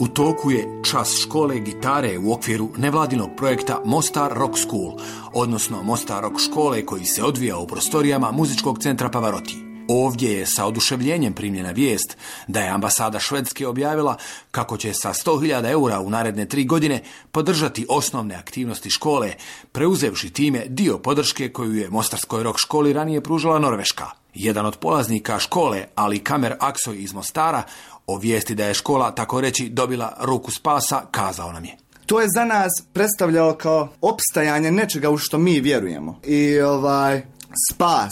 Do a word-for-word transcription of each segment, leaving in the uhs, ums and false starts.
U toku je čas škole gitare u okviru nevladinog projekta Mostar Rock School, odnosno Mostar Rock škole koji se odvija u prostorijama muzičkog centra Pavarotti. Ovdje je sa oduševljenjem primljena vijest da je ambasada Švedske objavila kako će sa sto hiljada eura u naredne tri godine podržati osnovne aktivnosti škole, preuzevši time dio podrške koju je Mostarskoj rock školi ranije pružala Norveška. Jedan od polaznika škole, Ali Kamer Aksoj iz Mostara, o vijesti da je škola, tako reći, dobila ruku spasa, kazao nam je: To je za nas predstavljalo kao opstajanje nečega u što mi vjerujemo. I ovaj spas.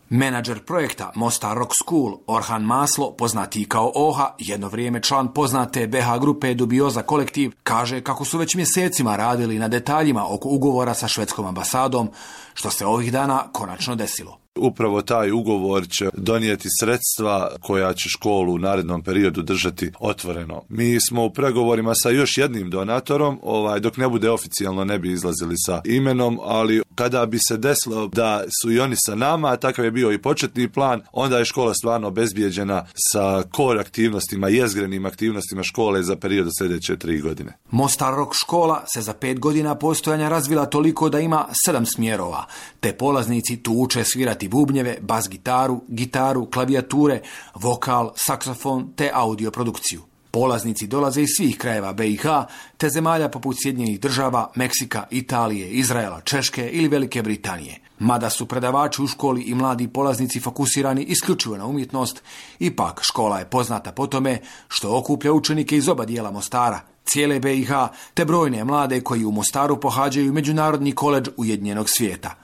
Menadžer projekta Mostar Rock School Orhan Maslo, poznatiji kao Oha, jedno vrijeme član poznate be ha grupe Dubioza kolektiv, kaže kako su već mjesecima radili na detaljima oko ugovora sa švedskom ambasadom, što se ovih dana konačno desilo. Upravo taj ugovor će donijeti sredstva koja će školu u narednom periodu držati otvoreno. Mi smo u pregovorima sa još jednim donatorom, ovaj, dok ne bude oficijalno ne bi izlazili sa imenom, ali kada bi se desilo da su i oni sa nama, a takav je bio i početni plan, onda je škola stvarno obezbijeđena sa core aktivnostima, jezgrenim aktivnostima škole za period sljedeće tri godine. Mostar Rock škola se za pet godina postojanja razvila toliko da ima sedam smjerova, te polaznici tu uče svirati bubnjeve, bas gitaru, gitaru, klavijature, vokal, saksofon te audio produkciju. Polaznici dolaze iz svih krajeva be i ha te zemalja poput Sjedinjenih država, Meksika, Italije, Izraela, Češke ili Velike Britanije. Mada su predavači u školi i mladi polaznici fokusirani isključivo na umjetnost, ipak škola je poznata po tome što okuplja učenike iz oba dijela Mostara, cijele be i ha te brojne mlade koji u Mostaru pohađaju Međunarodni koledž Ujedinjenog svijeta.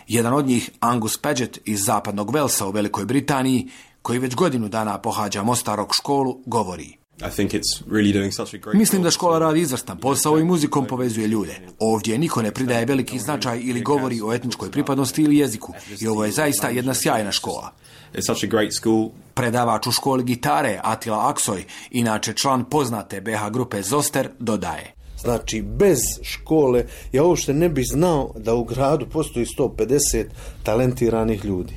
Jedan od njih, Angus Paget iz zapadnog Velsa u Velikoj Britaniji, koji već godinu dana pohađa Mostar Rock školu, govori: I think it's really doing such a great Mislim da škola radi izvrstan posao i muzikom povezuje ljude. Ovdje niko ne pridaje veliki značaj ili govori o etničkoj pripadnosti ili jeziku. I ovo je zaista jedna sjajna škola. It's such a great school. Predavač u školi gitare Atila Aksoj, inače član poznate be ha grupe Zoster, dodaje: Znači, bez škole ja uopšte ne bi znao da u gradu postoji sto pedeset talentiranih ljudi.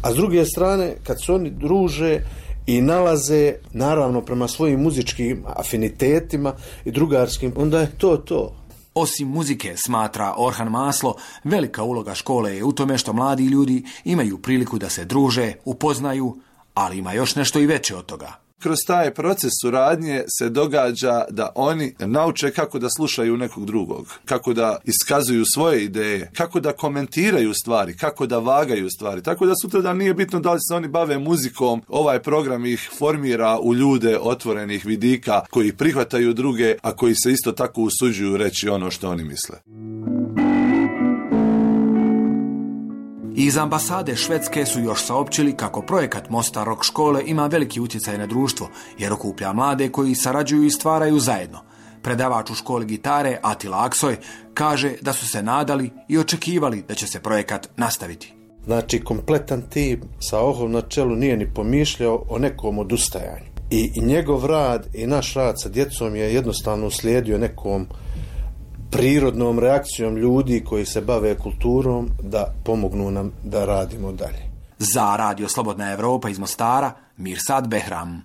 A s druge strane, kad se oni druže i nalaze, naravno prema svojim muzičkim afinitetima i drugarskim, onda je to to. Osim muzike, smatra Orhan Maslo, velika uloga škole je u tome što mladi ljudi imaju priliku da se druže, upoznaju, ali ima još nešto i veće od toga. Kroz taj proces suradnje se događa da oni nauče kako da slušaju nekog drugog, kako da iskazuju svoje ideje, kako da komentiraju stvari, kako da vagaju stvari. Tako da sutra da nije bitno da li se oni bave muzikom, ovaj program ih formira u ljude otvorenih vidika koji prihvataju druge, a koji se isto tako usuđuju reći ono što oni misle. Iz ambasade Švedske su još saopćili kako projekat Mostar Rock škole ima veliki utjecaj na društvo, jer okuplja mlade koji sarađuju i stvaraju zajedno. Predavač u školi gitare Atila Aksoj kaže da su se nadali i očekivali da će se projekat nastaviti. Znači, kompletan tim sa Ohom na čelu nije ni pomišljao o nekom odustajanju. I, i njegov rad i naš rad sa djecom je jednostavno uslijedio nekom prirodnom reakcijom ljudi koji se bave kulturom da pomognu nam da radimo dalje. Za Radio Slobodna Evropa iz Mostara, Mirsad Behram.